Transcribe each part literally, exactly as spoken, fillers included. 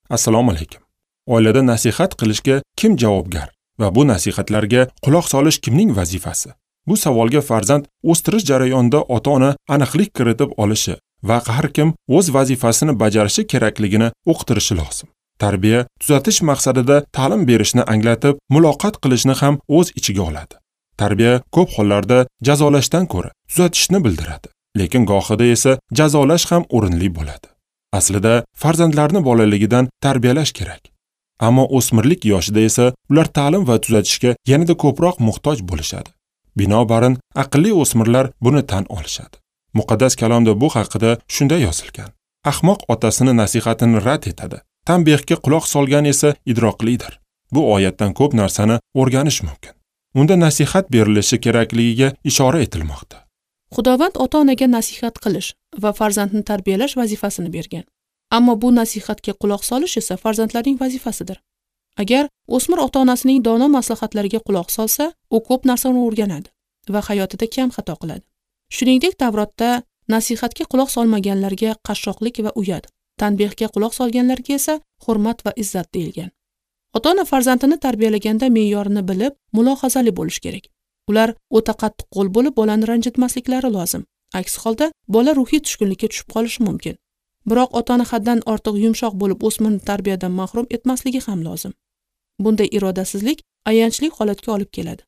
Assalomu alaykum. Oilada nasihat qilishga kim javobgar va bu nasihatlarga quloq solish kimning vazifasi? Bu savolga farzand o'stirish jarayonida ota-ona aniqlik kiritib olishi va har kim o'z vazifasini bajarishi kerakligini uqtirishi lozim. Tarbiya tuzatish maqsadida ta'lim berishni anglatib, muloqot qilishni ham o'z ichiga oladi. Tarbiya ko'p hollarda jazolashdan ko'ra tuzatishni bildiradi, lekin gohida esa jazolash ham o'rinli bo'ladi. Aslida farzandlarni bolaligidan tarbiyalash kerak. Ammo o'smirlik yoshida esa ular ta'lim va tuzatishga yanada ko'proq muhtoj bo'lishadi. Binobarin, aqlli o'smirlar buni tan olishadi. Muqaddas kalomda bu haqida shunday yozilgan: Ahmoq otasini nasihatini rad etadi, tanbehga quloq solgan esa idroqlidir. Bu oyatdan ko'p narsani o'rganish mumkin. Unda nasihat berilishi kerakligiga ishora etilmoqda. Xudovand ota-onaga nasihat qilish va farzandni tarbiyalash vazifasini bergan. Ammo bu nasihatga quloq solish esa farzandlarning vazifasidir. Agar o'smir ota-onasining dono maslahatlariga quloq solsa, u ko'p narsani o'rganadi va hayotida kam xato qiladi. Shuningdek, Tavrotda nasihatga quloq solmaganlarga qashshoqlik va uyat, tanbehga quloq solganlarga esa hurmat va izzat deyilgan. Ota-ona farzandini tarbiyalaganda me'yorini bilib, mulohazali bo'lish kerak. Ular o'ta qattiqqo'l bo'lib, bolani ranjitmasliklari lozim. Aks holda bola ruhiy tushkunlikka tushib qolishi mumkin. Biroq ota-ona haddan ortiq yumshoq bo'lib o'smirni tarbiyadan mahrum etmasligi ham lozim. Bunday irodasizlik ayanchli holatga olib keladi.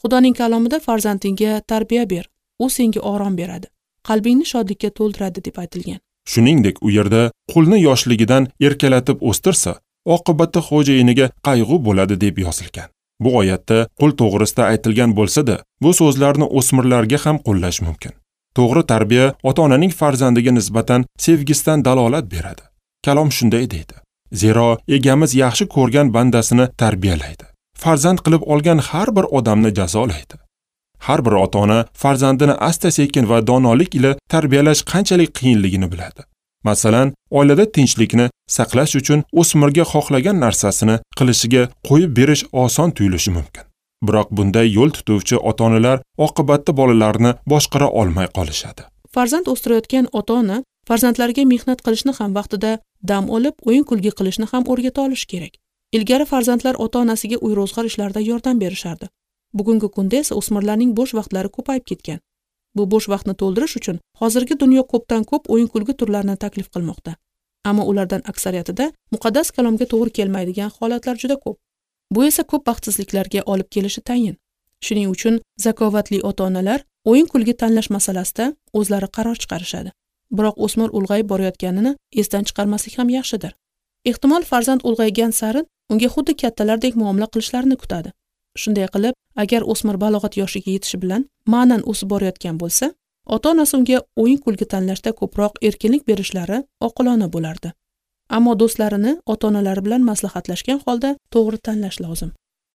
Xudoning kalomida farzandingga tarbiya ber, u senga orom beradi, qalbingni shodlikka to'ldiradi deb aytilgan. Shuningdek, u yerda qulni yoshligidan erkalatib o'stirsa, oqibatda xo'jayiniga qayg'u bo'ladi deb yozilgan. Bu oyatda qul to'g'risida aytilgan bo'lsa-da, bu so'zlarni o'smirlarga ham qo'llash mumkin. To'g'ri tarbiya ota-onaning farzandiga nisbatan sevgisidan dalolat beradi. Kalom shunday deydi: Zero egamiz yaxshi ko'rgan bandasini tarbiyalaydi. Farzand qilib olgan har bir odamni jazolaydi. Har bir ota-ona farzandini asta-sekin va donolik ila tarbiyalash qanchalik qiyinligini biladi. Masalan, oilada tinchlikni saqlash uchun o'smirga xohlagan narsasini qilishiga qo'yib berish oson tuyulishi mumkin. Biroq bunday yo'l tutuvchi ota-onalar oqibatda bolalarini boshqara olmay qolishadi. Farzand o'stirayotgan ota-ona farzandlariga mehnat qilishni ham, vaqtida dam olib, o'yin-kulgi qilishni ham o'rgata olish kerak. Ilgari farzandlar ota-onasiga uy-ro'zg'or ishlarida yordam berishardi. Bugungi kunda esa o'smirlarning bo'sh vaqtlari ko'payib ketgan. Bu bo'sh vaqtni to'ldirish uchun hozirgi dunyo ko'pdan ko'p o'yin-kulgi turlarini taklif qilmoqda. Ammo ulardan aksariyatida muqaddas kalomga to'g'ri kelmaydigan holatlar juda ko'p. Bu esa ko'p baxtsizliklarga olib kelishi tayin. Shuning uchun zakovatli ota-onalar o'yin-kulgi tanlash masalasida o'zlari qaror chiqarishadi. Biroq o'smir ulg'ayib borayotganini esdan chiqarmaslik ham yaxshidir. Ehtimol farzand ulg'aygan sari unga xuddi kattalardek muomala qilishlarini kutadi. Shunday qilib, agar o'smir balog'at yoshiga yetishi bilan ma'nan o'sib borayotgan bo'lsa, ota-onasi unga o'yin-kulgi tanlashda ko'proq erkinlik berishlari oqilona bo'lardi. Ammo do'stlarini ota-onalari bilan maslahatlashgan holda to'g'ri tanlash lozim.